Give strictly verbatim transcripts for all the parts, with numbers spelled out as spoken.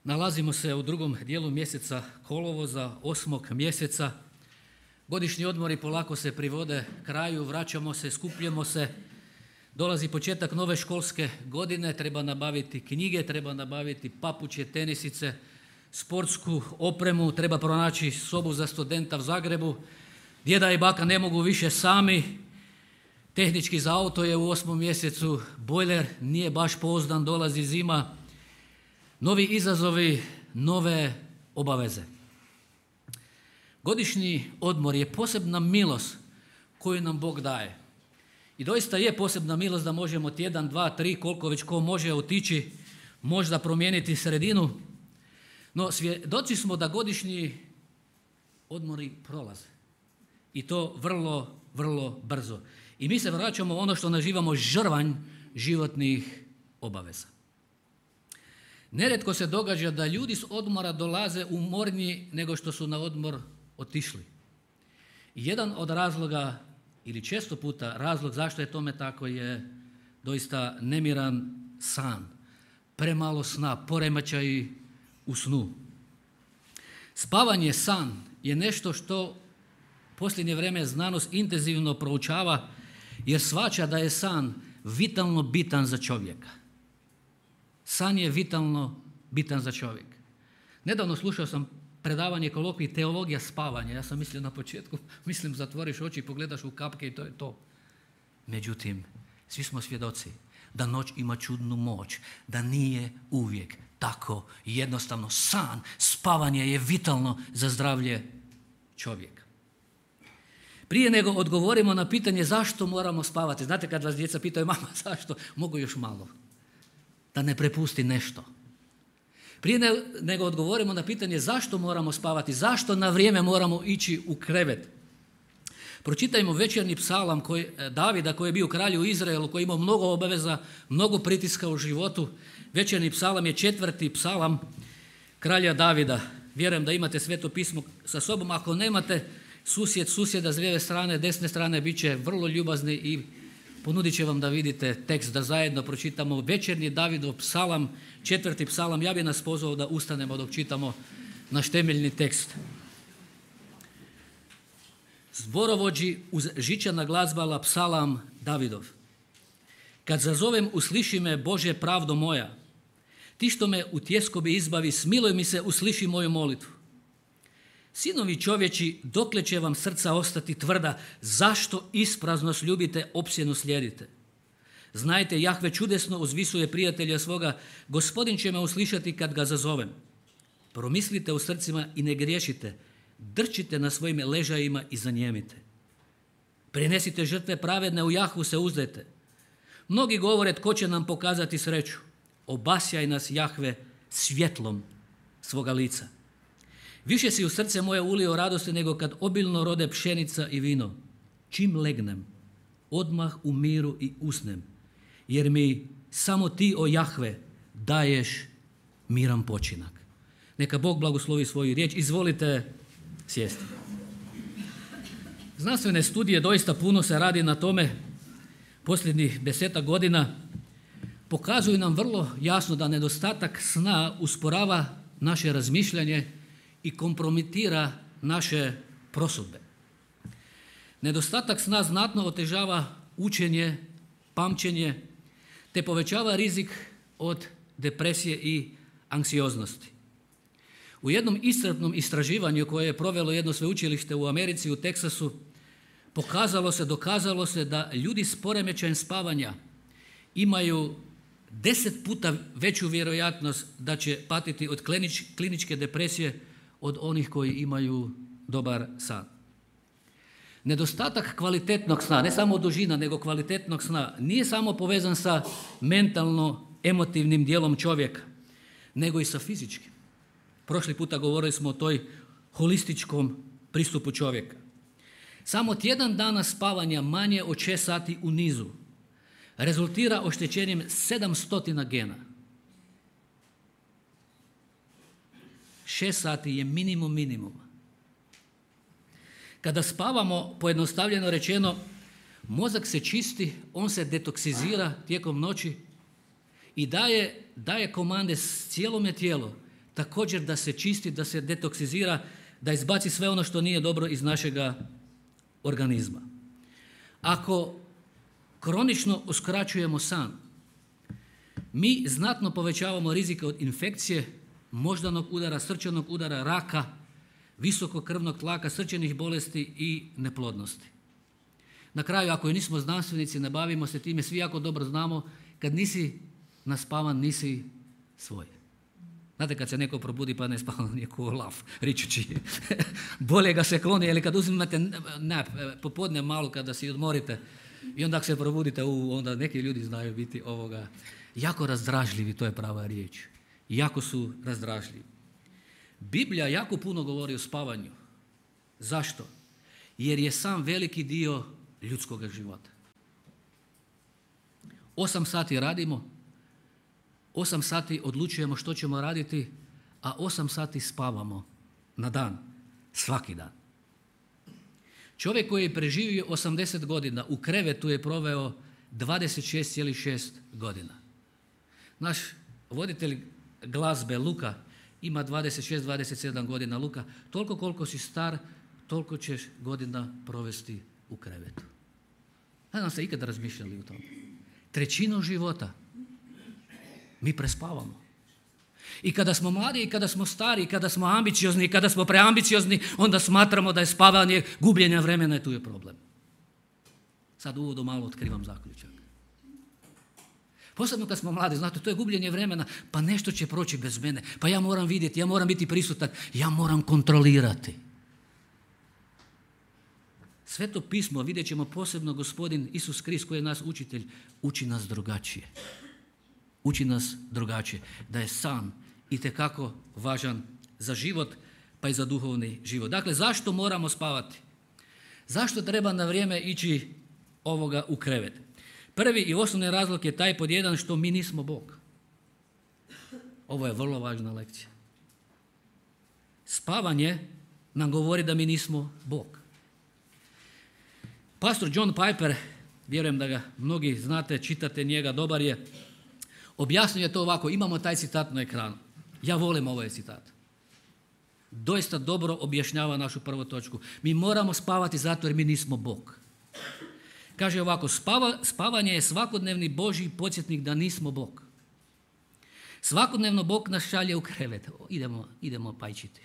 Nalazimo se u drugom dijelu mjeseca kolovoza, osmog mjeseca. Godišnji odmori polako se privode kraju, vraćamo se, skupljamo se. Dolazi početak nove školske godine, treba nabaviti knjige, treba nabaviti papuče, tenisice, sportsku opremu, treba pronaći sobu za studenta u Zagrebu. Djeda i baka ne mogu više sami. Tehnički za auto je u osmom mjesecu, bojler nije baš pouzdan, dolazi zima. Novi izazovi, nove obaveze. Godišnji odmor je posebna milost koju nam Bog daje. I doista je posebna milost da možemo tjedan, dva, tri, koliko već ko može otići, možda promijeniti sredinu. No svjedoci smo da godišnji odmori prolaze. I to vrlo, vrlo brzo. I mi se vraćamo u ono što nazivamo žrvanj životnih obaveza. Nerijetko se događa da ljudi s odmora dolaze umorniji nego što su na odmor otišli. I jedan od razloga, ili često puta razlog zašto je tome tako, je doista nemiran san. Premalo sna, poremećaji u snu. Spavanje, san je nešto što posljednje vrijeme znanost intenzivno proučava jer shvaća da je san vitalno bitan za čovjeka. San je vitalno bitan za čovjeka. Nedavno slušao sam predavanje kolokvij teologija spavanja. Ja sam mislio na početku, mislim zatvoriš oči, pogledaš u kapke i to je to. Međutim, svi smo svjedoci da noć ima čudnu moć, da nije uvijek tako jednostavno. San, spavanje je vitalno za zdravlje čovjeka. Prije nego odgovorimo na pitanje zašto moramo spavati. Znate kad vas djeca pitaju, mama zašto? Mogu još malo. Da ne prepusti nešto. Prije nego odgovorimo na pitanje zašto moramo spavati, zašto na vrijeme moramo ići u krevet. Pročitajmo večernji psalam koji, Davida koji je bio kralj u Izraelu, koji je imao mnogo obaveza, mnogo pritiska u životu. Večernji psalam je četvrti psalam kralja Davida. Vjerujem da imate Sveto pismo sa sobom. Ako nemate, susjed susjeda s lijeve strane, desne strane bit će vrlo ljubazni i ponudit će vam da vidite tekst, da zajedno pročitamo večernji Davidov psalam, četvrti psalam. Ja bih nas pozvao da ustanemo dok čitamo naš temeljni tekst. Zborovođi uz žičana glazbala psalam Davidov. Kad zazovem, usliši me, Bože, pravdo moja. Ti što me u tjeskobi izbavi, smiluj mi se, usliši moju molitvu. Sinovi čovječi, dokle će vam srca ostati tvrda, zašto ispraznost ljubite, opsjenu slijedite? Znajte, Jahve čudesno uzvisuje prijatelja svoga, Gospodin će me uslišati kad ga zazovem. Promislite u srcima i ne griješite, drčite na svojim ležajima i zanijemite. Prinesite žrtve pravedne, u Jahvu se uzdajte. Mnogi govore tko će nam pokazati sreću. Obasjaj nas, Jahve, svjetlom svoga lica. Više si u srce moje ulio radosti nego kad obilno rode pšenica i vino. Čim legnem, odmah u miru i usnem, jer mi samo ti, o Jahve, daješ miran počinak. Neka Bog blagoslovi svoju riječ. Izvolite sjesti. Znanstvene studije, doista puno se radi na tome, posljednjih desetak godina, pokazuju nam vrlo jasno da nedostatak sna usporava naše razmišljanje i kompromitira naše prosudbe. Nedostatak sna znatno otežava učenje, pamćenje, te povećava rizik od depresije i anksioznosti. U jednom iscrpnom istraživanju koje je provelo jedno sveučilište u Americi, u Teksasu, pokazalo se, dokazalo se da ljudi s poremećajem spavanja imaju deset puta veću vjerojatnost da će patiti od klinič, kliničke depresije od onih koji imaju dobar san. Nedostatak kvalitetnog sna, ne samo dužina, nego kvalitetnog sna, nije samo povezan sa mentalno-emotivnim dijelom čovjeka, nego i sa fizičkim. Prošli puta govorili smo o toj holističkom pristupu čovjeka. Samo tjedan dana spavanja manje od šest sati u nizu rezultira oštećenjem sedamsto gena. Šest sati je minimum minimuma. Kada spavamo, pojednostavljeno rečeno, mozak se čisti, on se detoksizira tijekom noći i daje, daje komande cijelome tijelu. također da se čisti, da se detoksizira, da izbaci sve ono što nije dobro iz našega organizma. Ako kronično uskraćujemo san, mi znatno povećavamo rizike od infekcije, moždanog udara, srčanog udara, raka, visokog krvnog tlaka, srčanih bolesti i neplodnosti. Na kraju, ako nismo znanstvenici, ne bavimo se time, svi jako dobro znamo, kad nisi naspavan, nisi svoj. Znate, kad se neko probudi pa ne spava, nije ko lav, ričući. Bolje ga se kloni, ili kad uzimate nap, popodne malo kada si odmorite i onda ako se probudite, u, onda neki ljudi znaju biti ovoga jako razdražljivi, to je prava riječ. Jako su razdražljivi. Biblija jako puno govori o spavanju. Zašto? Jer je sam veliki dio ljudskog života. Osam sati radimo, osam sati odlučujemo što ćemo raditi, a osam sati spavamo na dan, svaki dan. Čovjek koji je preživio osamdeset godina u krevetu je proveo dvadeset šest zarez šest godina. Naš voditelj glazbe Luka ima dvadeset šest dvadeset sedam godina. Luka, toliko koliko si star, toliko ćeš godina provesti u krevetu. Ne znam ste ikad razmišljali o tome. Trećinu života mi prespavamo. I kada smo mladi, i kada smo stari, i kada smo ambiciozni, i kada smo preambiciozni, onda smatramo da je spavanje gubljenja vremena i tu je problem. Sad uvodu malo otkrivam zaključak. Posebno kad smo mladi, znate, to je gubljenje vremena, pa nešto će proći bez mene, pa ja moram vidjeti, ja moram biti prisutan, ja moram kontrolirati. Sveto pismo, vidjet ćemo posebno gospodin Isus Krist koji je nas učitelj, uči nas drugačije. Uči nas drugačije, da je san itekako važan za život, pa i za duhovni život. Dakle, zašto moramo spavati? Zašto treba na vrijeme ići ovoga u krevet? Prvi i osnovni razlog je taj pod jedan što mi nismo Bog. Ovo je vrlo važna lekcija. Spavanje nam govori da mi nismo Bog. Pastor John Piper, vjerujem da ga mnogi znate, čitate njega, dobar je, objasnio je to ovako, imamo taj citat na ekranu. Ja volim ovaj citat. Doista dobro objašnjava našu prvu točku. Mi moramo spavati zato jer mi nismo Bog. Kaže ovako, spava, spavanje je svakodnevni Božji podsjetnik da nismo Bog. Svakodnevno Bog nas šalje u krevet. O, idemo, idemo pajčiti.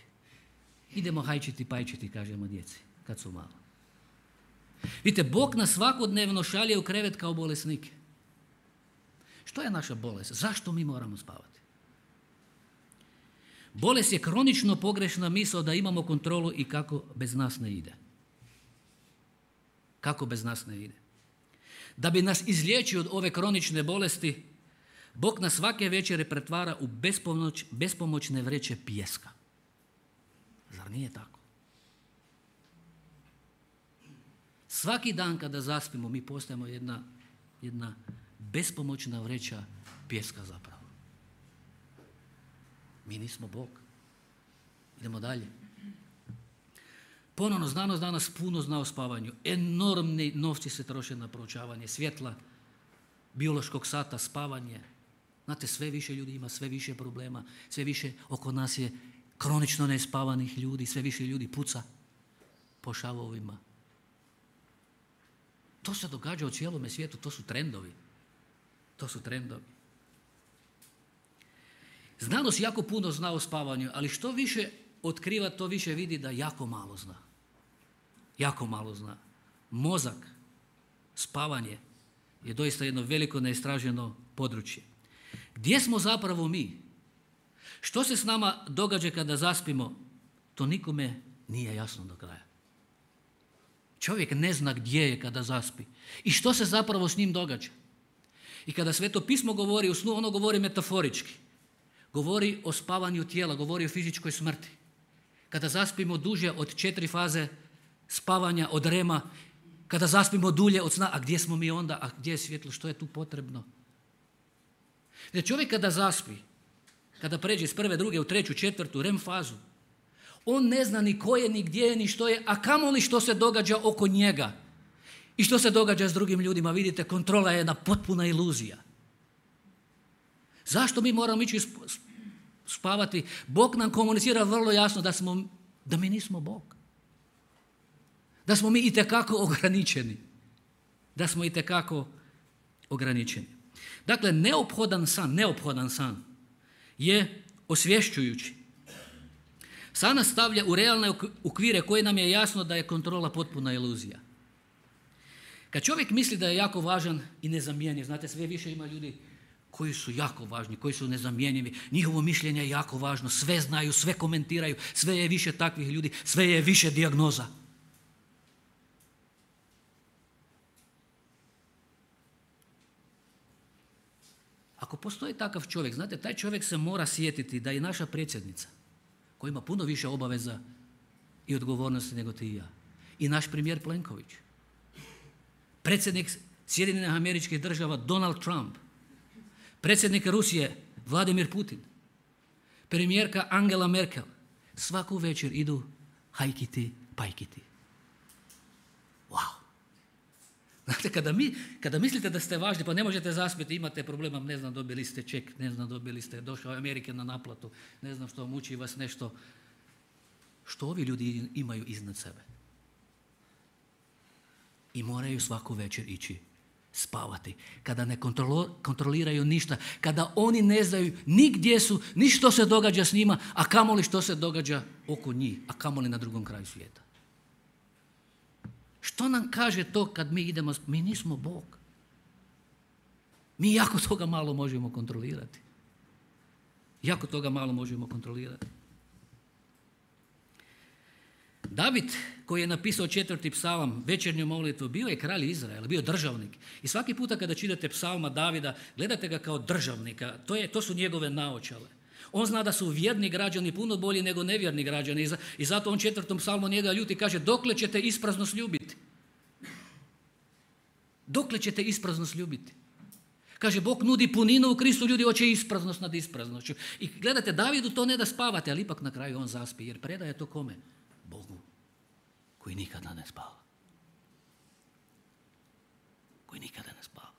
Idemo hajčiti, pajčiti, kažemo djeci, kad su malo. Vidite, Bog nas svakodnevno šalje u krevet kao bolesnike. Što je naša bolest? Zašto mi moramo spavati? Bolest je kronično pogrešna misao da imamo kontrolu i kako bez nas ne ide. Kako bez nas ne ide. Da bi nas izliječio od ove kronične bolesti, Bog nas svake večere pretvara u bespomoć, bespomoćne vreće pijeska. Zar nije tako? Svaki dan kada zaspimo, mi postajemo jedna, jedna bespomoćna vreća pijeska zapravo. Mi nismo Bog. Idemo dalje. Ponovno, znanost danas puno zna o spavanju. Enormni novci se troše na proučavanje svjetla, biološkog sata, spavanje. Znate, sve više ljudi ima, sve više problema, sve više oko nas je kronično nespavanih ljudi, sve više ljudi puca po šavovima. To se događa u cijelome svijetu, to su trendovi. To su trendovi. Znanost jako puno zna o spavanju, ali što više otkriva, to više vidi da jako malo zna. Jako malo zna. Mozak, spavanje je doista jedno veliko neistraženo područje. Gdje smo zapravo mi? Što se s nama događa kada zaspimo? To nikome nije jasno do kraja. Čovjek ne zna gdje je kada zaspi. I što se zapravo s njim događa? I kada Sveto pismo govori o snu, ono govori metaforički. Govori o spavanju tijela, govori o fizičkoj smrti. Kada zaspimo duže od četiri faze spavanja, od rema, kada zaspimo dulje od sna, a gdje smo mi onda, a gdje je svjetlo, što je tu potrebno? Jer čovjek kada zaspi, kada pređe iz prve, druge, u treću, četvrtu, rem fazu, on ne zna ni ko je, ni gdje je, ni što je, a kamoli što se događa oko njega. I što se događa s drugim ljudima. Vidite, kontrola je jedna potpuna iluzija. Zašto mi moramo ići spavati. Bog nam komunicira vrlo jasno da, smo, da mi nismo Bog. Da smo mi itekako ograničeni. Da smo itekako ograničeni. Dakle, neophodan san, neophodan san je osvješćujući. San nas stavlja u realne okvire koje nam je jasno da je kontrola potpuna iluzija. Kad čovjek misli da je jako važan i nezamjenjiv, znate, sve više ima ljudi koji su jako važni, koji su nezamjenjivi, njihovo mišljenje je jako važno, sve znaju, sve komentiraju, sve je više takvih ljudi, sve je više dijagnoza. Ako postoji takav čovjek, znate, taj čovjek se mora sjetiti da je naša predsjednica, koja ima puno više obaveza i odgovornosti nego ti i ja, i naš premijer Plenković, predsjednik Sjedinjenih Američkih Država Donald Trump, predsjednik Rusije Vladimir Putin, premijerka Angela Merkel, svaku večer idu hajkiti, pajkiti. Wow! Znate, kada, mi, kada mislite da ste važni, pa ne možete zaspiti, imate problema, ne znam, dobili ste ček, ne znam, dobili ste, došao Amerike na naplatu, ne znam što, muči vas nešto. Što ovi ljudi imaju iznad sebe? I moraju svaku večer ići spavati. Kada ne kontrolo, kontroliraju ništa, kada oni ne znaju ni gdje su, ni što se događa s njima, a kamoli što se događa oko njih, a kamoli na drugom kraju svijeta. Što nam kaže to kad mi idemo, mi nismo Bog. Mi jako toga malo možemo kontrolirati. Jako toga malo možemo kontrolirati. David, koji je napisao četvrti psalam, večernju molitvu, bio je kralj Izraela, bio je državnik. I svaki puta kada čitate psalma Davida, gledate ga kao državnika. To, je, to su njegove naočale. On zna da su vjerni građani puno bolji nego nevjerni građani. I zato on četvrtom psalmu njega ljuti kaže: dokle ćete ispraznost ljubiti? Dokle ćete ispraznost ljubiti? Kaže, Bog nudi puninu u Kristu, ljudi hoće ispraznost nad ispraznošću. I gledajte, Davidu to ne da spavate, ali ipak na kraju on zaspi, jer predaje to kome? Bogu, koji nikada ne spava. Koji nikada ne spava.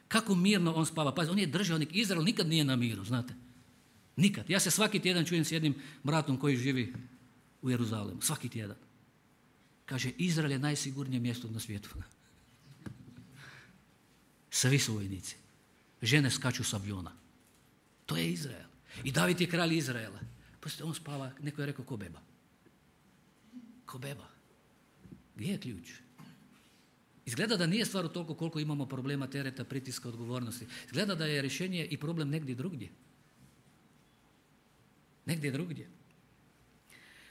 Kako mirno on spava? Pazi, on je državnik. Izrael nikad nije na miru, znate. Nikad. Ja se svaki tjedan čujem s jednim bratom koji živi u Jeruzalemu. Svaki tjedan. Kaže, Izrael je najsigurnije mjesto na svijetu. Svi su vojnici. Žene skaču s aviona. To je Izrael. I David je kralj Izraela. Poslije on spava, neko je rekao, ko beba. Ko beba. Gdje je ključ? Izgleda da nije stvar u toliko koliko imamo problema, tereta, pritiska, odgovornosti. Izgleda da je rješenje i problem negdje drugdje. Negdje drugdje.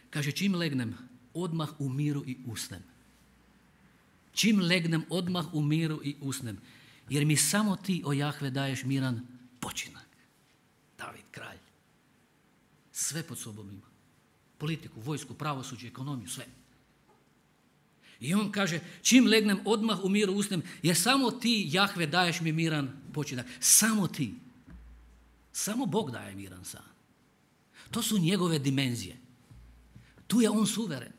Kaže, čim legnem, odmah u miru i usnem. Čim legnem, odmah u miru i usnem. Jer mi samo ti, o Jahve, daješ miran počinak. David, kralj. Sve pod sobom ima. Politiku, vojsku, pravosuđe, ekonomiju, sve. I on kaže, čim legnem, odmah u miru usnem, jer samo ti, Jahve, daješ mi miran počinak. Samo ti. Samo Bog daje miran san. To su njegove dimenzije. Tu je on suveren.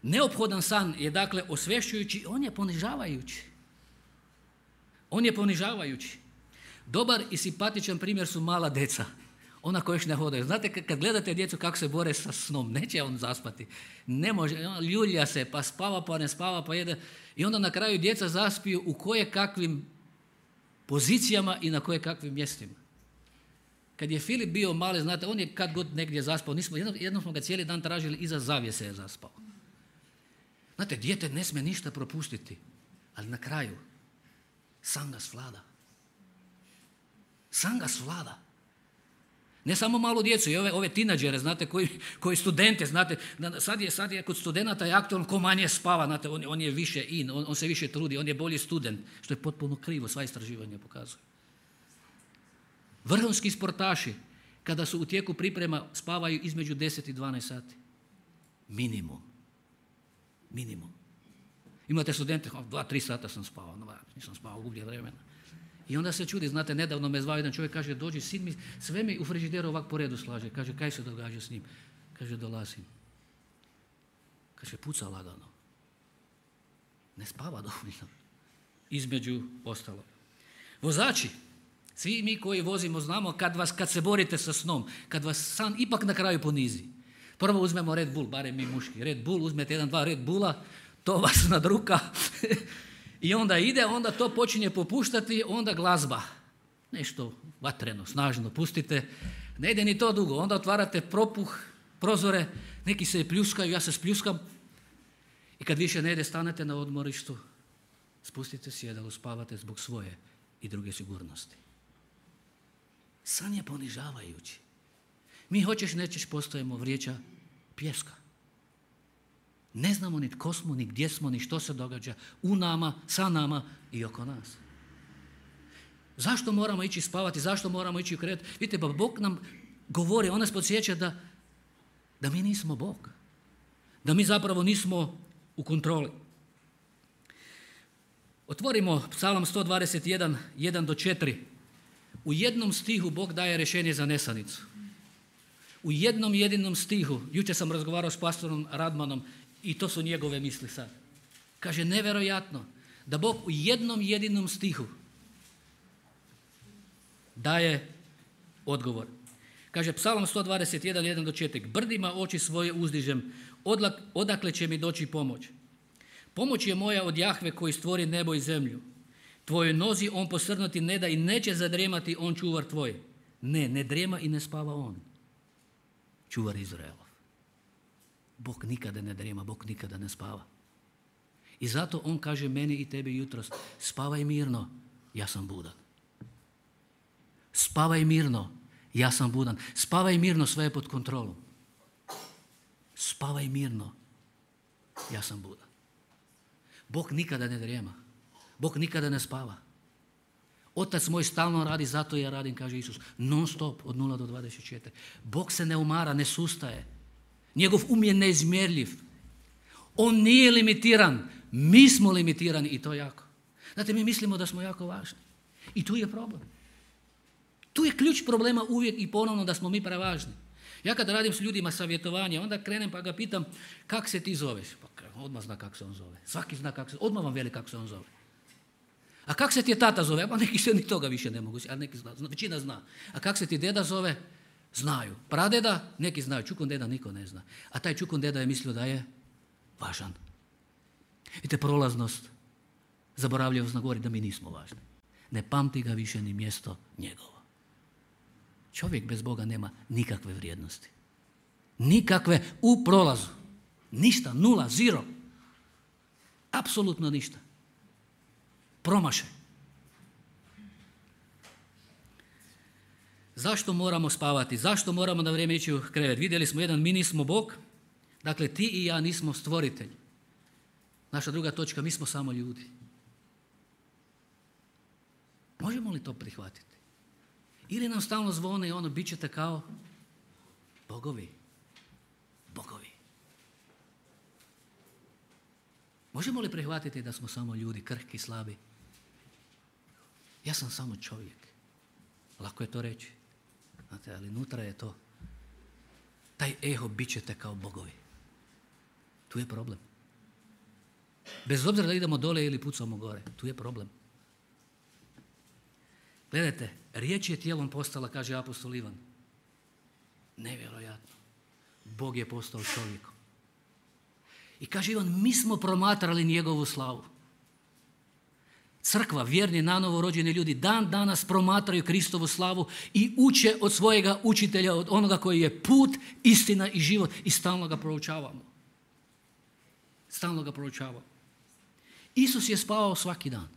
Neophodan san je dakle osvješćujući, on je ponižavajući. On je ponižavajući. Dobar i simpatičan primjer su mala deca. Ona koja još ne hodaju. Znate, kad gledate djecu kako se bore sa snom, neće on zaspati. Ne može, ljulja se, pa spava, pa ne spava, pa jede. I onda na kraju djeca zaspiju u koje kakvim pozicijama i na koje kakvim mjestima. Kad je Filip bio mali, znate, on je kad god negdje zaspao. Nismo, jednom, jednom smo ga cijeli dan tražili, iza zavjese je zaspao. Znate, dijete ne smije ništa propustiti, ali na kraju san ga svlada. San ga svlada. Ne samo malu djecu, i ove, ove tinađere, znate, koji, koji studente, znate, sad je, sad je kod studenata je aktualno ko manje spava, znate, on, on je više in, on, on se više trudi, on je bolji student, što je potpuno krivo, sva istraživanja pokazuju. Vrhunski sportaši, kada su u tijeku priprema, spavaju između deset i dvanaest sati. Minimum. Minimum. Imate studente, dva, tri sata sam spavao, no, nisam spavao, gublje vremena. I onda se čudi, znate, nedavno me zvao jedan čovjek, kaže, dođi, sin mi, sve mi u frižideru ovak po redu slaže. Kaže, kaj se događa s njim? Kaže, dolazim. Kaže, puca lagano. Ne spava dovoljno. Između ostalo. Vozači, Svi mi koji vozimo znamo kad, vas, kad se borite sa snom, kad vas san ipak na kraju ponizi. Prvo uzmemo Red Bull, barem mi muški. Red Bull, uzmete jedan, dva Red Bulla, to vas nadruka i onda ide, onda to počinje popuštati, onda glazba. Nešto vatreno, snažno pustite. Ne ide ni to dugo, onda otvarate propuh, prozore, neki se pljuskaju, ja se spljuskam i kad više ne ide, stanete na odmorištu, spustite sjedalo, spavate zbog svoje i druge sigurnosti. San je ponižavajući. Mi hoćeš nećeš postojimo vrijeđa pjeska. Ne znamo ni tko smo, ni gdje smo, ni što se događa u nama, sa nama i oko nas. Zašto moramo ići spavati, zašto moramo ići u krevet? Vidite, pa Bog nam govori, on nas podsjeća da, da mi nismo Bog. Da mi zapravo nismo u kontroli. Otvorimo Psalam sto dvadeset jedan, jedan do četiri. U jednom stihu Bog daje rješenje za nesanicu. U jednom jedinom stihu, jučer sam razgovarao s pastorom Radmanom i to su njegove misli sad. Kaže, nevjerojatno da Bog u jednom jedinom stihu daje odgovor. Kaže Psalam sto dvadeset jedan, jedan do četiri. Brdima oči svoje uzdižem, odakle će mi doći pomoć? Pomoć je moja od Jahve koji stvori nebo i zemlju. Tvojoj nozi on posrnuti ne da i neće zadrijemati on čuvar tvoj. Ne, ne drijema i ne spava on. Čuvar Izraelov. Bog nikada ne drijema, Bog nikada ne spava. I zato on kaže meni i tebi jutros, spavaj mirno, ja sam budan. Spavaj mirno, ja sam budan. Spavaj mirno, sve je pod kontrolom. Spavaj mirno, ja sam budan. Bog nikada ne drijema. Bog nikada ne spava. Otac moj stalno radi, zato ja radim, kaže Isus. Non stop, od nula do dvadeset četiri. Bog se ne umara, ne sustaje. Njegov um je neizmjerljiv. On nije limitiran. Mi smo limitirani i to jako. Znate, mi mislimo da smo jako važni. I tu je problem. Tu je ključ problema uvijek i ponovno da smo mi prevažni. Ja kad radim s ljudima savjetovanje, onda krenem pa ga pitam, kak se ti zoveš? Pa odmah zna kako se on zove. Svaki zna kako se, odmah vam veli kako se on zove. A kak se ti je tata zove? Pa neki se ni toga više ne mogu, a neki zna, većina zna. A kak se ti deda zove? Znaju. Pradeda? Neki znaju. Čukun deda niko ne zna. A taj čukun deda je mislio da je važan. Vidite, prolaznost, zaboravljivost govori da mi nismo važni. Ne pamti ga više ni mjesto njegovo. Čovjek bez Boga nema nikakve vrijednosti. Nikakve u prolazu. Ništa, nula, zero. Apsolutno ništa. Promašaj. Zašto moramo spavati? Zašto moramo na vrijeme ići u krevet? Vidjeli smo jedan, mi nismo Bog. Dakle, ti i ja nismo stvoritelj. Naša druga točka, mi smo samo ljudi. Možemo li to prihvatiti? Ili nam stalno zvone i ono, bit ćete kao bogovi. Bogovi. Možemo li prihvatiti da smo samo ljudi, krhki, slabi? Ja sam samo čovjek. Lako je to reći. Znate, ali unutra je to. Taj eho, bit ćete kao bogovi. Tu je problem. Bez obzira da idemo dole ili pucamo gore, tu je problem. Gledajte, riječ je tijelom postala, kaže apostol Ivan. Nevjerojatno. Bog je postao čovjekom. I kaže Ivan, mi smo promatrali njegovu slavu. Crkva, vjerni, nanovo rođeni ljudi, dan danas promatraju Kristovu slavu i uče od svojega učitelja, od onoga koji je put, istina i život i stalno ga proučavamo. Stalno ga proučavamo. Isus je spavao svaki dan.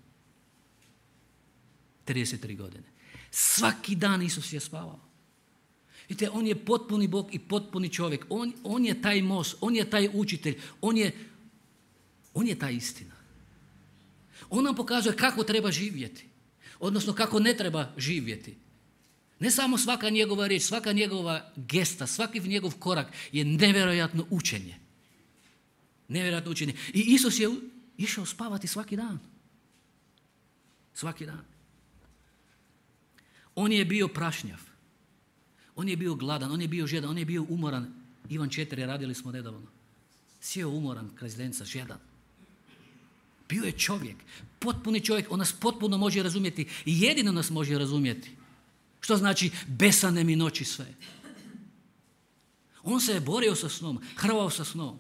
trideset tri godine. Svaki dan Isus je spavao. Vidite, on je potpuni Bog i potpuni čovjek. On, on je taj most, on je taj učitelj, on je, on je ta istina. On nam pokazuje kako treba živjeti, odnosno kako ne treba živjeti. Ne samo svaka njegova riječ, svaka njegova gesta, svaki njegov korak je nevjerojatno učenje. Nevjerojatno učenje. I Isus je išao spavati svaki dan. Svaki dan. On je bio prašnjav. On je bio gladan, on je bio žedan, on je bio umoran. Ivan četiri radili smo nedavno. Sjeo umoran kraj zdenca, žedan. Bio je čovjek, potpuni čovjek, on nas potpuno može razumjeti i jedino nas može razumjeti. Što znači besane mi noći sve. On se je borio sa snom, hrvao sa snom.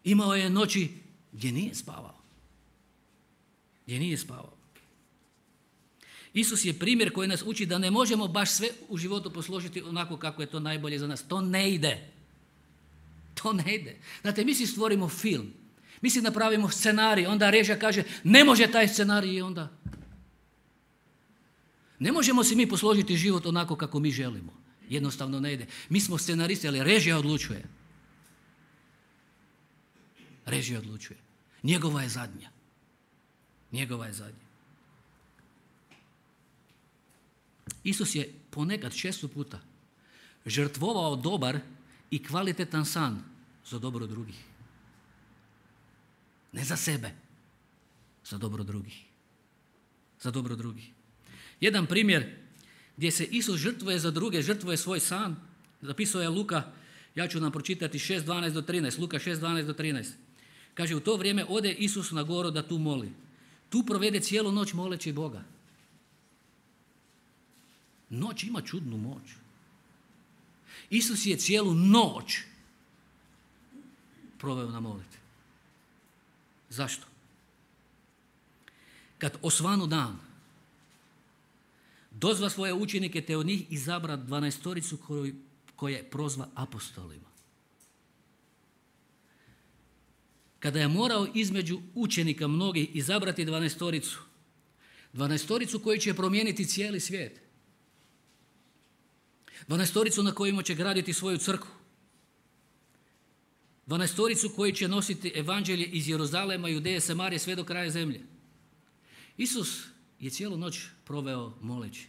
Imao je noći gdje nije spavao. Gdje nije spavao. Isus je primjer koji nas uči da ne možemo baš sve u životu posložiti onako kako je to najbolje za nas. To ne ide. To ne ide. Znate, mi si stvorimo film. Mi si napravimo scenarij, onda režija kaže ne može taj scenarij i onda. Ne možemo si mi posložiti život onako kako mi želimo. Jednostavno ne ide. Mi smo scenaristi, ali režija odlučuje. Režija odlučuje. Njegova je zadnja. Njegova je zadnja. Isus je ponekad često puta žrtvovao dobar i kvalitetan san za dobro drugih. Ne za sebe, za dobro drugih. Za dobro drugih. Jedan primjer gdje se Isus žrtvuje za druge, žrtvuje svoj san, zapisao je Luka, ja ću nam pročitati šest dvanaest do trinaest, Luka šest dvanaest do trinaest. Kaže, u to vrijeme ode Isus na goru da tu moli. Tu provede cijelu noć moleći Boga. Noć ima čudnu moć. Isus je cijelu noć proveo na molitvi. Zašto? Kad osvanu dan, dozva svoje učenike te od njih izabra dvanaestoricu koju, koje prozva apostolima. Kada je morao između učenika mnogih izabrati dvanaestoricu, dvanaestoricu koju će promijeniti cijeli svijet, dvanaestoricu na kojima će graditi svoju crkvu, dvanaestoricu koji će nositi evanđelje iz Jeruzalema, Judeje, Samarije sve do kraja zemlje. Isus je cijelu noć proveo moleći.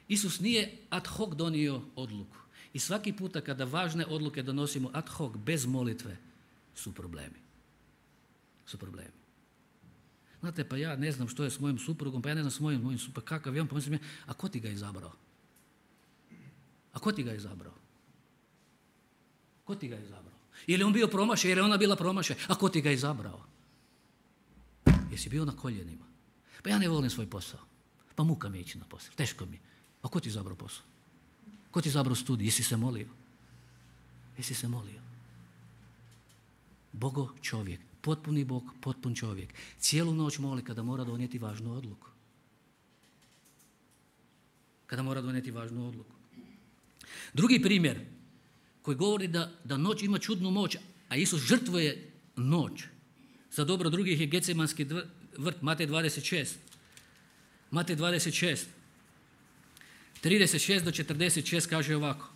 Isus nije ad hoc donio odluku. I svaki puta kada važne odluke donosimo ad hoc, bez molitve, su problemi. Su problemi. Znate, pa ja ne znam što je s mojim suprugom, pa ja ne znam s mojim, mojim suprugom, kakav je on, pa mislim, a ko ti ga izabrao? A ko ti ga izabrao? Ko ti ga izabrao? Je li on bio promašaj, je li ona bila promašaj? A ko ti ga izabrao? Jesi bio na koljenima? Pa ja ne volim svoj posao. Pa muka mi ići na posao, teško mi. A ko ti izabrao posao? Ko ti izabrao studij? Jesi se molio? Jesi se molio? Bogo čovjek, potpuni Bog, potpun čovjek. Cijelu noć moli kada mora donijeti važnu odluku. Kada mora donijeti važnu odluku. Drugi primjer koji govori da, da noć ima čudnu moć, a Isus žrtvuje noć za dobro drugih je Getsemanski vrt, Matej dvadeset šest. Matej dvadeset šest. trideset šest do četrdeset šest kaže ovako.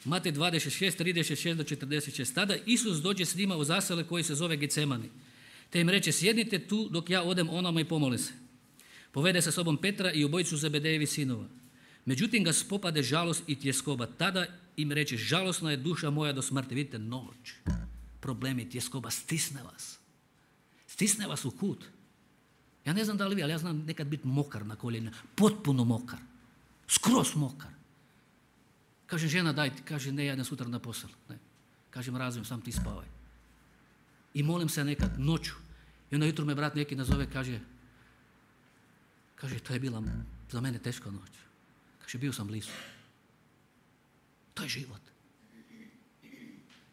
Matej dvadeset šest, trideset šest do četrdeset šest. Tada Isus dođe s njima u zasele koji se zove Getsemani. Te im reče, sjednite tu dok ja odem onama i pomolim se. Povede sa sobom Petra i obojicu Zebedejevi sinova. Međutim ga spopade žalost i tjeskoba. Tada im reče, žalosna je duša moja do smrti. Vidite, noć, problemi, tjeskoba, stisne vas. Stisne vas u kut. Ja ne znam da li vi, ali ja znam nekad biti mokar na koljenima. Potpuno mokar. Skroz mokar. Kaže žena, daj, kaže ne, ja idem sutra na posao. Ne. Kažem, razvijem, sam ti spavaj. I molim se nekad noću. I onda jutro me brat neki nazove, kaže, kaže, to je bila za mene teška noć. Kaže, bio sam blizu. To je život.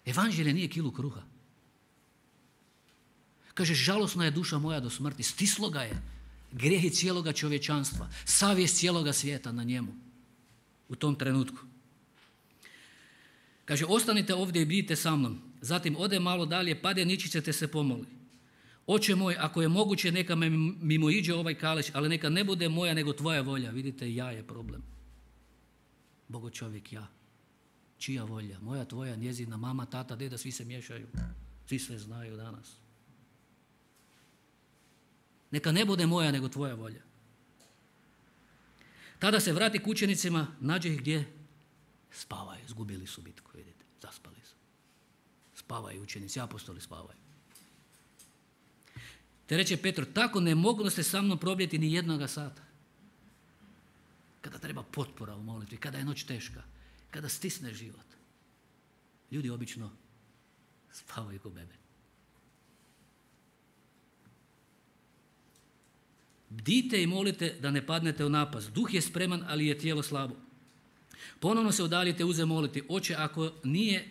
Evanđelje nije kilu kruha. Kaže, žalosna je duša moja do smrti. Stislo ga je grijehi cijeloga čovječanstva, savjest cijeloga svijeta na njemu u tom trenutku. Kaže, ostanite ovdje i bdite sa mnom. Zatim ode malo dalje, pade ničice te se pomoli. Oče moj, ako je moguće, neka me mimo iđe ovaj kališ, ali neka ne bude moja nego tvoja volja. Vidite, ja je problem. Bogo čovjek, ja. Čija volja? Moja, tvoja, njezina, mama, tata, deda, svi se miješaju. Svi sve znaju danas. Neka ne bude moja nego tvoja volja. Tada se vrati k učenicima, nađe ih gdje? Spavaju, izgubili su bitku, vidite, zaspali su. Spavaju učenici, apostoli spavaju. Te reče Petro, tako ne mogu ste sa mnom probljeti ni jednoga sata. Kada treba potpora u molitvi, kada je noć teška, kada stisne život. Ljudi obično spavaju ko bebe. Bdite i molite da ne padnete u napast. Duh je spreman, ali je tijelo slabo. Ponovno se udaljite, uze moliti. Oče, ako nije,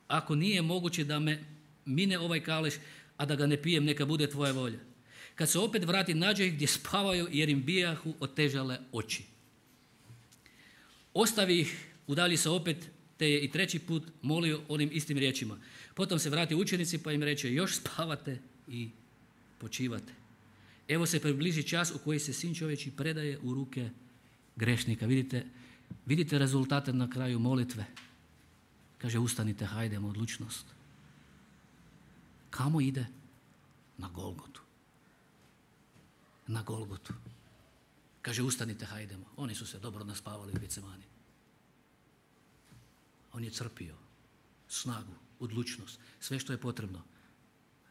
ako nije moguće da me mine ovaj kaleš, a da ga ne pijem, neka bude tvoja volja. Kad se opet vrati, nađe ih gdje spavaju, jer im bijahu otežale oči. Ostavi ih, udalji se opet, te je i treći put molio onim istim riječima. Potom se vrati učenici pa im reče, još spavate i počivate. Evo se približi čas u koji se Sin čovječji predaje u ruke grešnika. Vidite, vidite rezultate na kraju molitve. Kaže, ustanite, hajdemo, odlučnost. Kamo ide? Na Golgotu. Na Golgotu. Kaže, ustanite, hajdemo. Oni su se dobro naspavali u Getsemani. On je crpio snagu, odlučnost, sve što je potrebno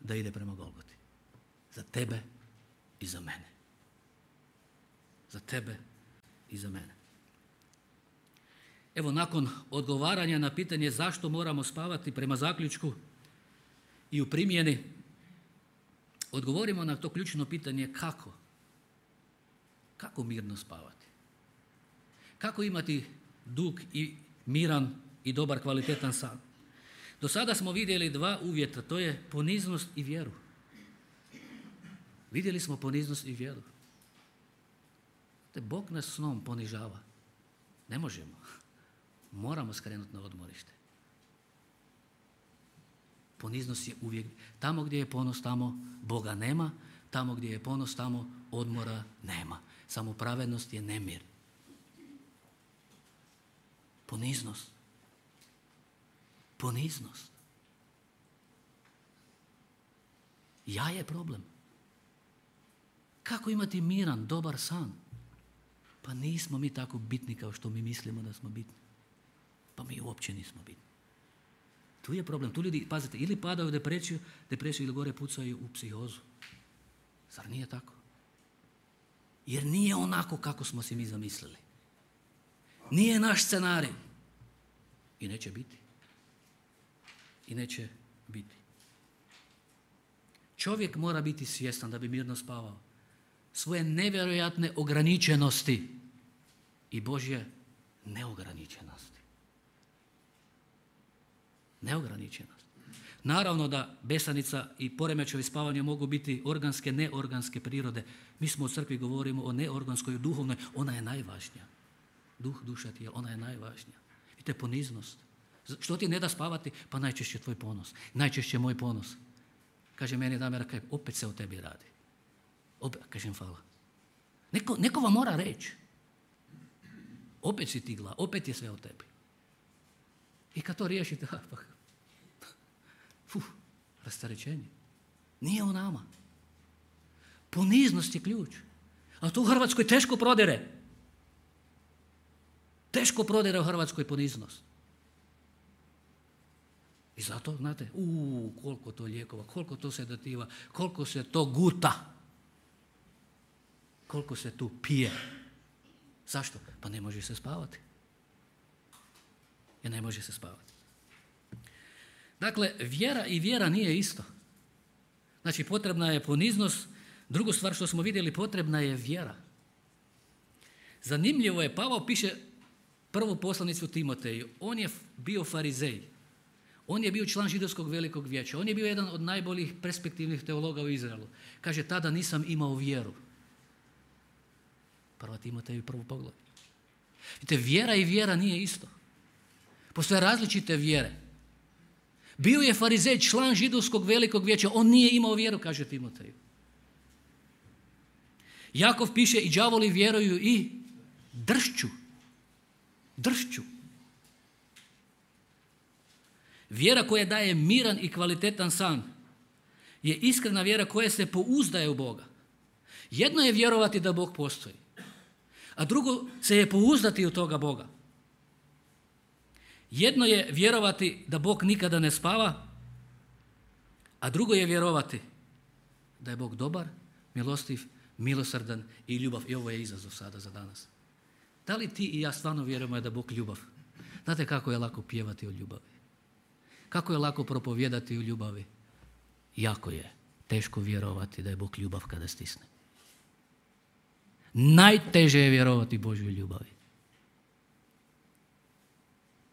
da ide prema Golgoti. Za tebe i za mene. Za tebe i za mene. Evo, nakon odgovaranja na pitanje zašto moramo spavati prema zaključku i u primjeni, odgovorimo na to ključno pitanje kako. Kako mirno spavati? Kako imati dug i miran i dobar, kvalitetan san? Do sada smo vidjeli dva uvjeta, to je poniznost i vjeru. Vidjeli smo poniznost i vjeru. Te Bog nas snom ponižava. Ne možemo. Moramo skrenuti na odmorište. Poniznost je uvijek. Tamo gdje je ponos, tamo Boga nema. Tamo gdje je ponos, tamo odmora nema. Samo pravednost je nemir. Poniznost. Poniznost. Ja je problem. Kako imati miran, dobar san? Pa nismo mi tako bitni kao što mi mislimo da smo bitni. Pa mi uopće nismo bitni. Tu je problem. Tu ljudi, pazite, ili padaju u depresiju, depresiju ili gore pucaju u psihozu. Zar nije tako? Jer nije onako kako smo si mi zamislili. Nije naš scenarij. I neće biti. I neće biti. Čovjek mora biti svjestan da bi mirno spavao svoje nevjerojatne ograničenosti i Božje neograničenosti. Neograničenost. Naravno da besanica i poremećaji spavanja mogu biti organske, neorganske prirode. Mi smo u crkvi govorimo o neorganskoj, duhovnoj, ona je najvažnija. Duh, duša, tijelo, ona je najvažnija. I to je poniznost. Što ti ne da spavati? Pa najčešće tvoj ponos. Najčešće moj ponos. Kaže meni Damir, kaj, opet se o tebi radi. Opet, kažem hvala. Neko, neko vam mora reći. Opet si ti glas, opet je sve o tebi. I kad to riješite, ha, pa, fuh, rasterećenje. Nije o nama. Poniznost je ključ. A to u Hrvatskoj teško prodire. Teško prodire u Hrvatskoj poniznost. I zato, znate, uuu, koliko to lijekova, koliko to sedativa, koliko se to guta. Koliko se tu pije. Zašto? Pa ne može se spavati. Jer ne može se spavati. Dakle, vjera i vjera nije isto. Znači, potrebna je poniznost. Drugu stvar što smo vidjeli, potrebna je vjera. Zanimljivo je, Pavao piše prvu poslanicu Timoteju. On je bio farizej. On je bio član židovskog velikog vijeća. On je bio jedan od najboljih perspektivnih teologa u Izraelu. Kaže, tada nisam imao vjeru. Prva Timoteju, prvo poglavlje. Vidite, vjera i vjera nije isto. Postoje različite vjere. Bio je farizej, član židovskog velikog vijeća. On nije imao vjeru, kaže Timoteju. Jakov piše, i đavoli vjeruju i dršću. Dršću. Vjera koja daje miran i kvalitetan san je iskrena vjera koja se pouzdaje u Boga. Jedno je vjerovati da Bog postoji, a drugo se je pouzdati u toga Boga. Jedno je vjerovati da Bog nikada ne spava, a drugo je vjerovati da je Bog dobar, milostiv, milosrdan i ljubav. I ovo je izazov sada za danas. Da li ti i ja stvarno vjerujemo da je Bog ljubav? Znate kako je lako pjevati o ljubavi? Kako je lako propovijedati o ljubavi? Jako je teško vjerovati da je Bog ljubav kada stisne. Najteže je vjerovati Božjoj ljubavi.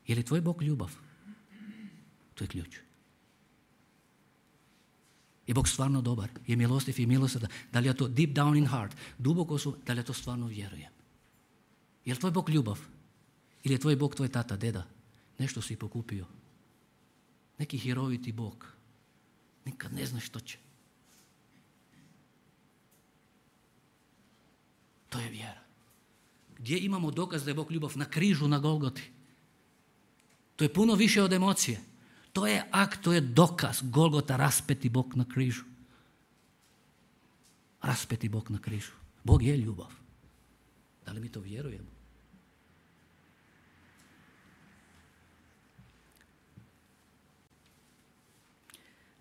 Je li tvoj Bog ljubav? To je ključ. Je Bog stvarno dobar? Je milostiv i milosrdan? Da li je to deep down in heart? Duboko su, da li ja to stvarno vjerujem? Je li tvoj Bog ljubav? Ili je tvoj Bog tvoj tata, deda? Nešto si pokupio. Neki hiroviti Bog. Nikad ne znaš što će. To je vjera. Gdje imamo dokaz da je Bog ljubav? Na križu, na Golgoti. To je puno više od emocije. To je akt, to je dokaz. Golgota, raspeti Bog na križu. Raspeti Bog na križu. Bog je ljubav. Da li mi to vjerujemo?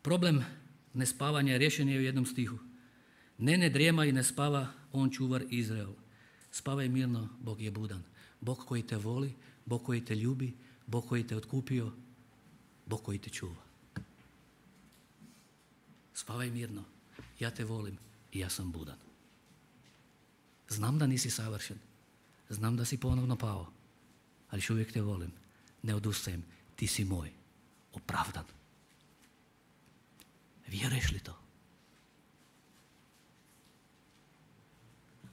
Problem nespavanja riješen je u jednom stihu. Ne ne drijema i ne spava on čuvar Izrael. Spavaj mirno, Bog je budan. Bog koji te voli, Bog koji te ljubi, Bog koji te otkupio, Bog koji te čuva. Spavaj mirno, ja te volim i ja sam budan. Znam da nisi savršen, znam da si ponovno pao, ali još uvijek te volim, ne odustajem, ti si moj, opravdan. Vjeruješ li to?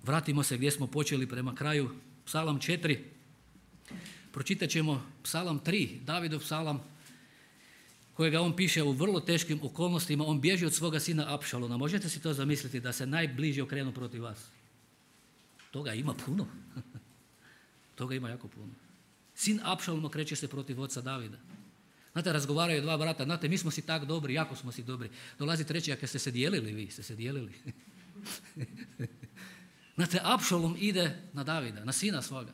Vratimo se gdje smo počeli prema kraju. Psalam četiri. Pročitat ćemo Psalam tri, Davidov psalam, kojega on piše u vrlo teškim okolnostima. On bježi od svoga sina Apšalona. Možete si to zamisliti da se najbliže okrenu protiv vas? Toga ima puno. Toga ima jako puno. Sin Apšalon okreće se protiv oca Davida. Znate, razgovaraju dva brata, znate, mi smo si tak dobri, jako smo si dobri. Dolazi treći, ako ste se dijelili vi, ste se dijelili. Znate, Apšalom ide na Davida, na sina svoga.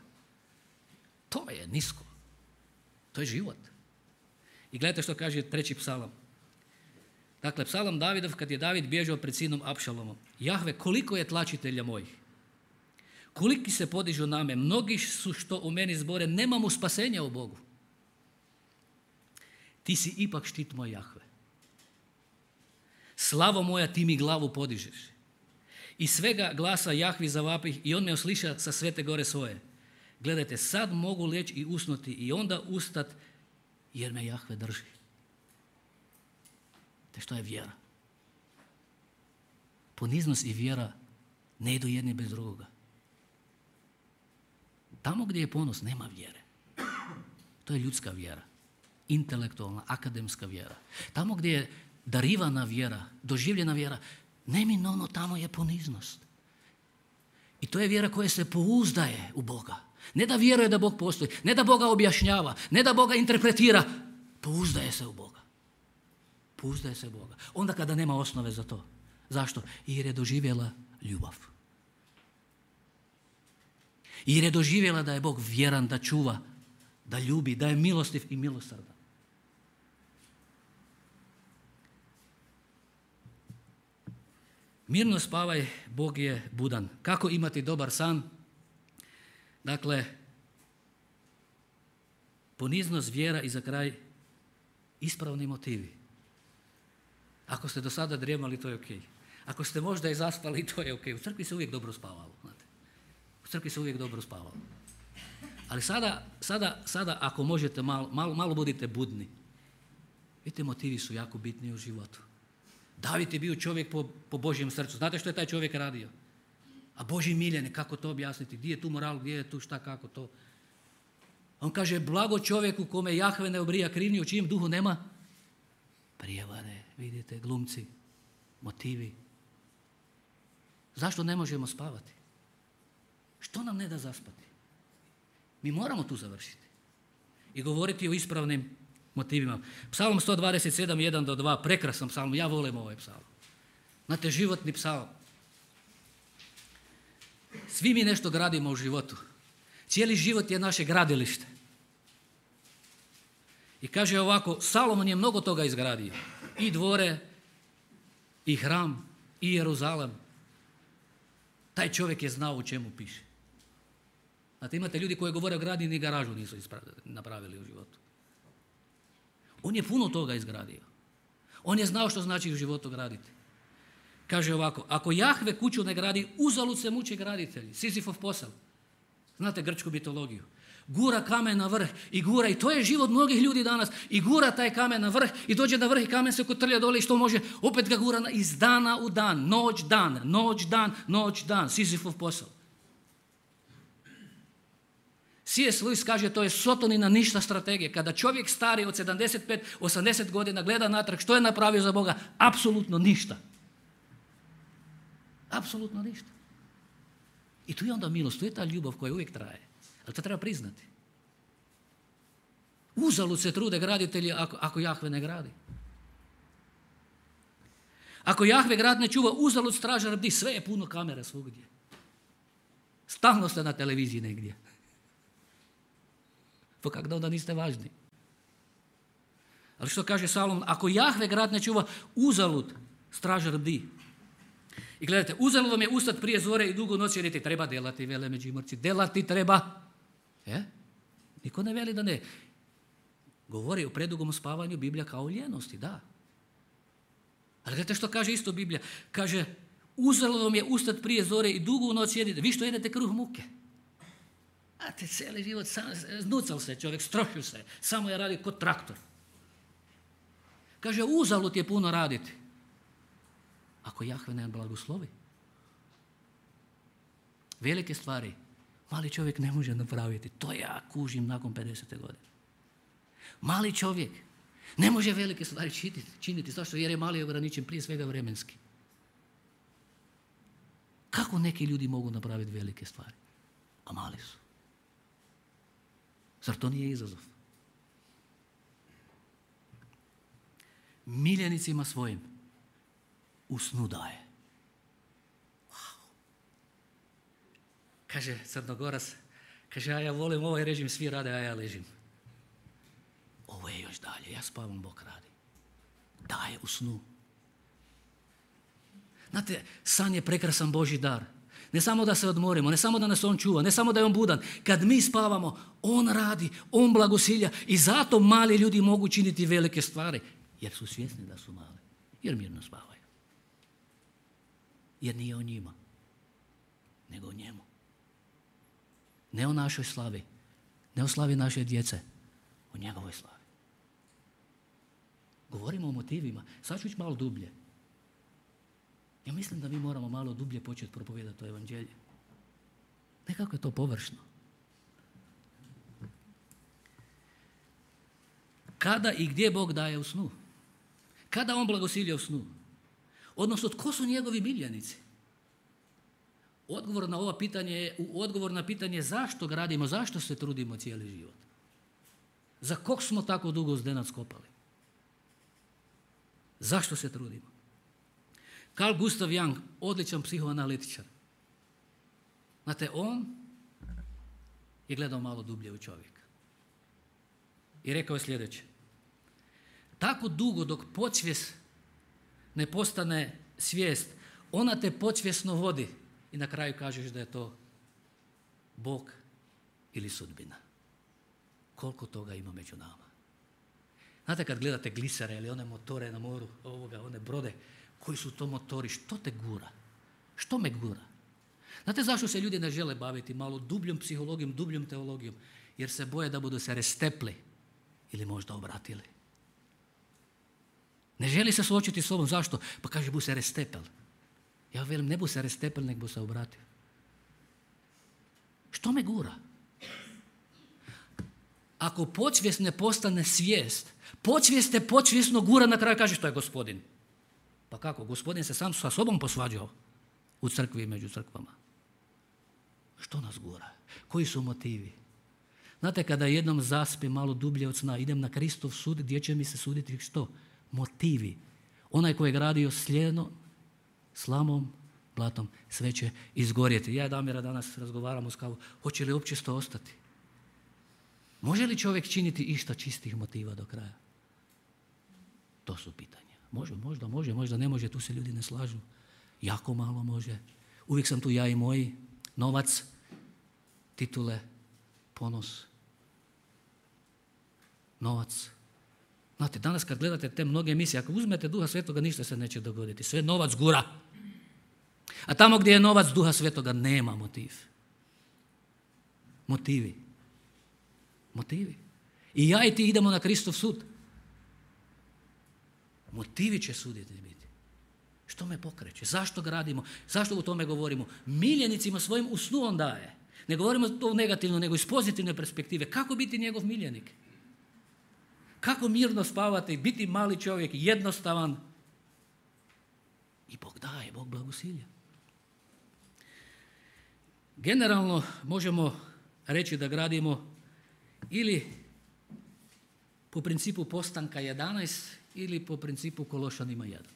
To je nisko. To je život. I gledajte što kaže treći psalam. Dakle, psalam Davidov, kad je David bježao pred sinom Apšalomom. Jahve, koliko je tlačitelja mojih? Koliki se podižu na me? Mnogi su što u meni zbore, nemamo spasenja u Bogu. Ti si ipak štit moj, Jahve. Slavo moja, ti mi glavu podižeš. I svega glasa Jahvi zavapih i on me osliša sa svete gore svoje. Gledajte, sad mogu leći i usnuti i onda ustat jer me Jahve drži. Te što je vjera? Poniznost i vjera ne idu jedni bez drugoga. Tamo gdje je ponos nema vjere. To je ljudska vjera. Intelektualna, akademska vjera. Tamo gdje je darivana vjera, doživljena vjera, neminovno tamo je poniznost. I to je vjera koja se pouzdaje u Boga. Ne da vjeruje da Bog postoji, ne da Boga objašnjava, ne da Boga interpretira, pouzdaje se u Boga. Pouzdaje se u Boga. Onda kada nema osnove za to. Zašto? Jer je doživjela ljubav. Jer je doživjela da je Bog vjeran, da čuva, da ljubi, da je milostiv i milosrdan. Mirno spavaj, Bog je budan. Kako imati dobar san? Dakle, poniznost, vjera i za kraj ispravni motivi. Ako ste do sada drijemali, to je ok. Ako ste možda i zaspali, to je ok. U crkvi se uvijek dobro spavalo. Znate. U crkvi se uvijek dobro spavalo. Ali sada, sada, sada ako možete, malo, malo, malo budite budni. Vidite, motivi su jako bitni u životu. David je bio čovjek po, po Božjem srcu. Znate što je taj čovjek radio? A Božji miljenik, kako to objasniti? Gdje je tu moral, gdje je tu šta, kako to? On kaže, blago čovjeku kome Jahve ne obrija krivnju, u čijem duhu nema prijevare. Vidite, glumci, motivi. Zašto ne možemo spavati? Što nam ne da zaspati? Mi moramo tu završiti i govoriti o ispravnim motivima. Psalm sto dvadeset sedam, jedan do dva, prekrasan psalm, ja volim ovaj psalm. Znate, životni psalm. Svi mi nešto gradimo u životu. Cijeli život je naše gradilište. I kaže ovako, Salomon je mnogo toga izgradio. I dvore, i hram, i Jeruzalem. Taj čovjek je znao u čemu piše. Znate, imate ljudi koji govore o gradnji, ni garažu nisu napravili u životu. On je puno toga izgradio. On je znao što znači u životu graditi. Kaže ovako, ako Jahve kuću ne gradi, uzalud se muče graditelji. Sizifov posao. Znate grčku mitologiju. Gura kamen na vrh i gura, i to je život mnogih ljudi danas, i gura taj kamen na vrh i dođe na vrh i kamen se kotrlja dole i što može, opet ga gura iz dana u dan, noć dan, noć dan, noć dan, Sizifov posao. C S. Lewis kaže, to je sotonina ništa strategije. Kada čovjek stari od sedamdeset pet osamdeset godina gleda natrag što je napravio za Boga, apsolutno ništa. Apsolutno ništa. I tu je onda milost, tu je ta ljubav koja uvijek traje. Ali to treba priznati. Uzalud se trude graditelji ako, ako Jahve ne gradi. Ako Jahve grad ne čuva, uzalud stražar bdi, sve je puno kamera svugdje. Stalno ste na televiziji negdje. Pa kako da onda niste važni? Ali što kaže Salomon, ako Jahve grad ne čuva, uzalud stražar bdi. I gledajte, uzalud vam je ustat prije zore i dugo noći jediti. Treba delati, vele Međimurci. Delati treba. Je? Niko ne veli da ne. Govori o predugom spavanju Biblija kao o ljenosti, da. Ali gledajte što kaže isto Biblija. Kaže, uzalud vam je ustat prije zore i dugo noći jediti. Vi što jedete kruh muke. A te cijeli život, sam, znucal se čovjek, strošio se. Samo je radio kod traktor. Kaže, uzalud je puno raditi. Ako Jahve ne blagoslovi. Velike stvari mali čovjek ne može napraviti. To ja kužim nakon pedesete godine. Mali čovjek ne može velike stvari činiti. činiti zašto? Jer je mali ograničen prije svega vremenski. Kako neki ljudi mogu napraviti velike stvari? A mali su. Zar to nije izazov? Miljenicima svojim u snu daje. Wow. Kaže Crnogorac, kaže, a ja volim ovaj režim, svi rade, a ja ležim. Ovo je još dalje, ja spavam, Bog radi. Daje u snu. Znate, san je prekrasan Božji dar. Ne samo da se odmorimo, ne samo da nas on čuva, ne samo da je on budan. Kad mi spavamo, on radi, on blagosilja i zato mali ljudi mogu činiti velike stvari. Jer su svjesni da su mali. Jer mirno spavaju. Jer nije o njima, nego o njemu. Ne o našoj slavi, ne o slavi naše djece, o njegovoj slavi. Govorimo o motivima, sad ću ići malo dublje. Ja mislim da mi moramo malo dublje početi propovijedati to evanđelje. Nekako je to površno. Kada i gdje Bog daje u snu? Kada on blagosilja u snu? Odnosno, tko su njegovi miljenici? Odgovor na ovo pitanje, odgovor na pitanje zašto gradimo, zašto se trudimo cijeli život? Za kog smo tako dugo zdenac kopali? Zašto se trudimo? Carl Gustav Jung, odličan psihoanalitičar. Znate, on je gledao malo dublje u čovjeka. I rekao je sljedeće. Tako dugo dok podsvijest ne postane svijest, ona te podsvjesno vodi i na kraju kažeš da je to Bog ili sudbina. Koliko toga ima među nama. Znate kad gledate glisere ili one motore na moru, ovoga, one brode, koji su to motori, što te gura? Što me gura? Znate zašto se ljudi ne žele baviti malo dubljom psihologijom, dubljom teologijom? Jer se boje da budu se restepli ili možda obratili. Ne želi se suočiti s sobom. Zašto? Pa kaže, bu se restepel. Ja velim, ne bu se restepel, nek bu se obratio. Što me gura? Ako podsvijest ne postane svijest, podsvijest te podsvjesno gura, na kraju kaže što je gospodin. Pa kako? Gospodin se sam sa sobom posvađao u crkvi i među crkvama. Što nas gura? Koji su motivi? Znate, kada jednom zaspi malo dublje od sna, idem na Kristov sud, gdje će mi se suditi što? Motivi. Onaj koji je gradio sljeno, slamom, blatom, sve će izgorjeti. Ja i Damira danas razgovaramo s kavu, hoće li uopće to ostati? Može li čovjek činiti išta čistih motiva do kraja? To su pitanja. Može, možda može, možda ne može, tu se ljudi ne slažu. Jako malo može. Uvijek sam tu ja i moji. Novac, titule, ponos. Novac. Znate, danas kad gledate te mnoge emisije, ako uzmete Duha Svetoga, ništa se neće dogoditi. Sve novac gura. A tamo gdje je novac Duha Svetoga nema motiv. Motivi. Motivi. I ja i ti idemo na Kristov sud. Motivi će suditi biti. Što me pokreće? Zašto gradimo? Zašto u tome govorimo? Miljenicima svojim u snu on daje. Ne govorimo to negativno, nego iz pozitivne perspektive. Kako biti njegov miljenik? Kako mirno spavati, biti mali čovjek, jednostavan. I Bog daje, Bog blagosilja. Generalno možemo reći da gradimo ili po principu Postanka jedanaest ili po principu Kološanima jedan.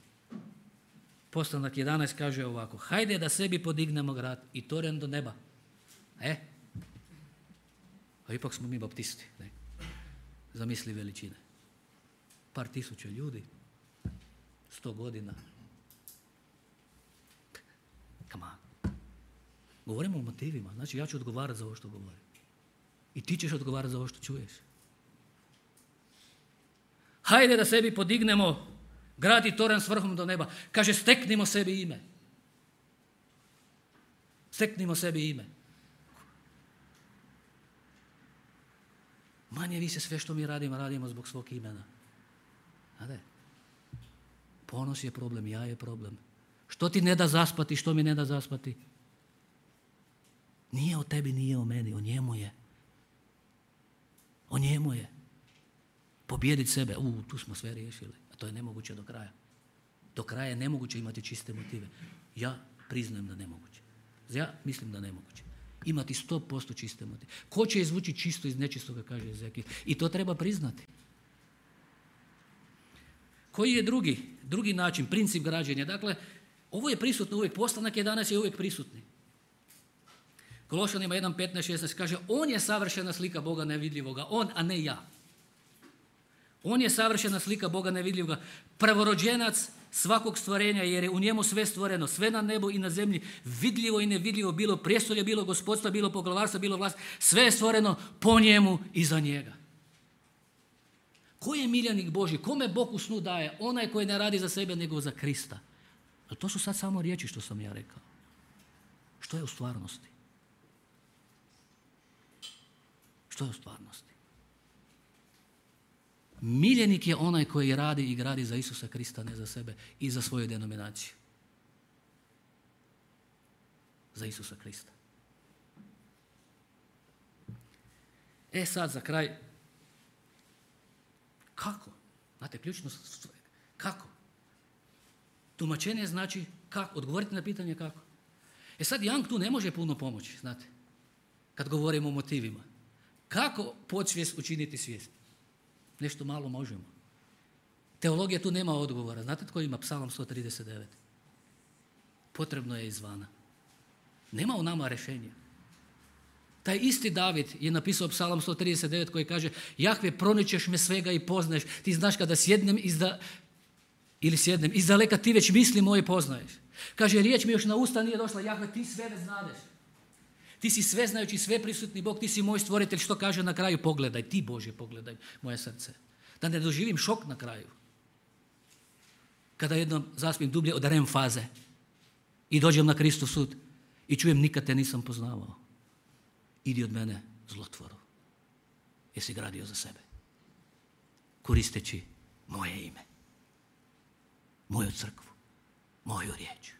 Postanak jedanaest kaže ovako: hajde da sebi podignemo grad i toren do neba. E? A ipak smo mi baptisti. Ne? Zamisli veličine. Par tisuća ljudi, sto godina. Come on. Govorimo o motivima. Znači ja ću odgovarati za ovo što govorim. I ti ćeš odgovarati za ovo što čuješ. Hajde da sebi podignemo grad i toren s vrhom do neba. Kaže, steknimo sebi ime. Steknimo sebi ime. Manje više sve što mi radimo, radimo zbog svog imena. Znate? Ponos je problem, ja je problem. Što ti ne da zaspati, što mi ne da zaspati? Nije o tebi, nije o meni, o njemu je. O njemu je. Pobijediti sebe, u, tu smo sve riješili. A to je nemoguće do kraja. Do kraja je nemoguće imati čiste motive. Ja priznajem da nemoguće. Ja mislim da nemoguće. Imati sto posto čiste motive. Ko će izvući čisto iz nečistoga, kaže Ezekijel. I to treba priznati. Koji je drugi, drugi način, princip građenja? Dakle, ovo je prisutno uvijek. Postanak jedanaest je uvijek prisutni. Kološanima jedan, petnaest, šesnaest kaže, on je savršena slika Boga nevidljivoga. On, a ne ja. On je savršena slika Boga nevidljivoga. Prvorođenac svakog stvorenja, jer je u njemu sve stvoreno. Sve na nebu i na zemlji. Vidljivo i nevidljivo. Bilo prijestolje, bilo gospodstva, bilo poglavarstva, bilo vlast. Sve je stvoreno po njemu i za njega. Ko je miljenik Božji? Kome Bog u snu daje? Onaj koji ne radi za sebe nego za Krista. Ali to su sad samo riječi što sam ja rekao. Što je u stvarnosti? Što je u stvarnosti? Miljenik je onaj koji radi i gradi za Isusa Krista, ne za sebe i za svoju denominaciju. Za Isusa Krista. E sad za kraj, kako? Znate, ključno, kako? Tumačenje znači kako? Odgovorite na pitanje kako. E sad Young tu ne može puno pomoći, znate, kad govorimo o motivima. Kako podsvijest učiniti svijest? Nešto malo možemo. Teologija tu nema odgovora. Znate tko ima Psalam sto trideset devet? Potrebno je izvana. Nema u nama rješenja. Taj isti David je napisao Psalam sto trideset devet koji kaže: Jahve, proničeš me svega i poznaješ. Ti znaš kada sjednem izda, ili sjednem, izdaleka ti već misli moje poznaješ. Kaže, riječ mi još na usta nije došla. Jahve, ti sve već znadeš. Ti si sve znajući, sve prisutni Bog, ti si moj stvoritelj. Što kaže na kraju? Pogledaj, ti Bože pogledaj moje srce. Da ne doživim šok na kraju. Kada jednom zaspim dublje od R E M faze i dođem na Kristov sud i čujem, nikad te nisam poznavao. Idi od mene, zlotvoro. Jesi gradio za sebe. Koristeći moje ime. Moju crkvu. Moju riječ.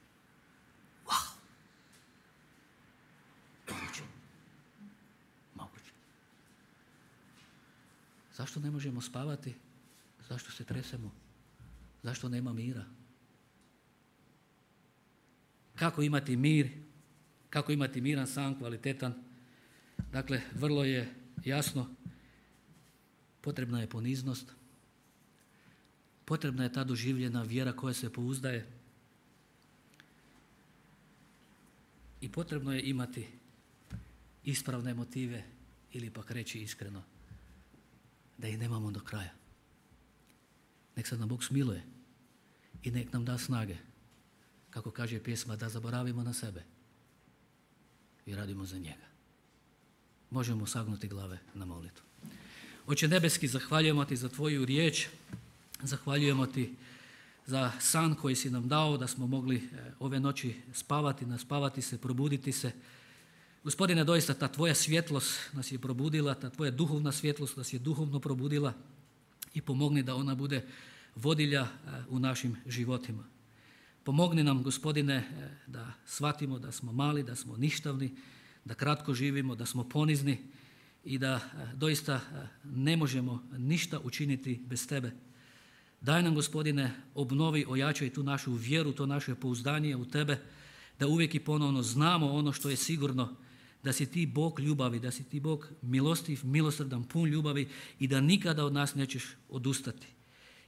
Wow. Moguće. Moguće. Zašto ne možemo spavati? Zašto se tresemo? Zašto nema mira? Kako imati mir? Kako imati miran san, kvalitetan? Dakle, vrlo je jasno. Potrebna je poniznost. Potrebna je ta doživljena vjera koja se pouzdaje. I potrebno je imati ispravne motive ili pak reći iskreno da ih nemamo do kraja. Nek se nam Bog smiluje i nek nam da snage, kako kaže pjesma, da zaboravimo na sebe i radimo za njega. Možemo sagnuti glave na molitvu. Oče nebeski, zahvaljujemo ti za tvoju riječ, zahvaljujemo ti za san koji si nam dao, da smo mogli ove noći spavati, naspavati se, probuditi se. Gospodine, doista ta tvoja svjetlost nas je probudila, ta tvoja duhovna svjetlost nas je duhovno probudila i pomogni da ona bude vodilja u našim životima. Pomogni nam, Gospodine, da shvatimo da smo mali, da smo ništavni, da kratko živimo, da smo ponizni i da doista ne možemo ništa učiniti bez Tebe. Daj nam, Gospodine, obnovi, ojačaj tu našu vjeru, to naše pouzdanje u Tebe, da uvijek i ponovno znamo ono što je sigurno, da si Ti Bog ljubavi, da si Ti Bog milostiv, milosrdan, pun ljubavi i da nikada od nas nećeš odustati.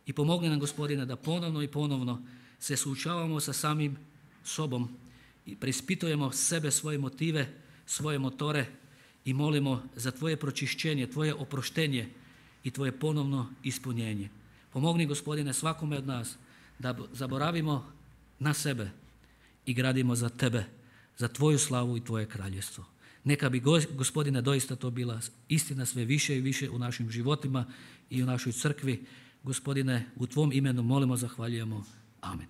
I pomogni nam, Gospodine, da ponovno i ponovno se suočavamo sa samim sobom i preispitujemo sebe, svoje motive, svoje motore i molimo za Tvoje pročišćenje, Tvoje oproštenje i Tvoje ponovno ispunjenje. Pomogni, Gospodine, svakome od nas da zaboravimo na sebe i gradimo za Tebe, za Tvoju slavu i Tvoje kraljevstvo. Neka bi, Gospodine, doista to bila istina sve više i više u našim životima i u našoj crkvi. Gospodine, u Tvom imenu molimo, zahvaljujemo. Amen.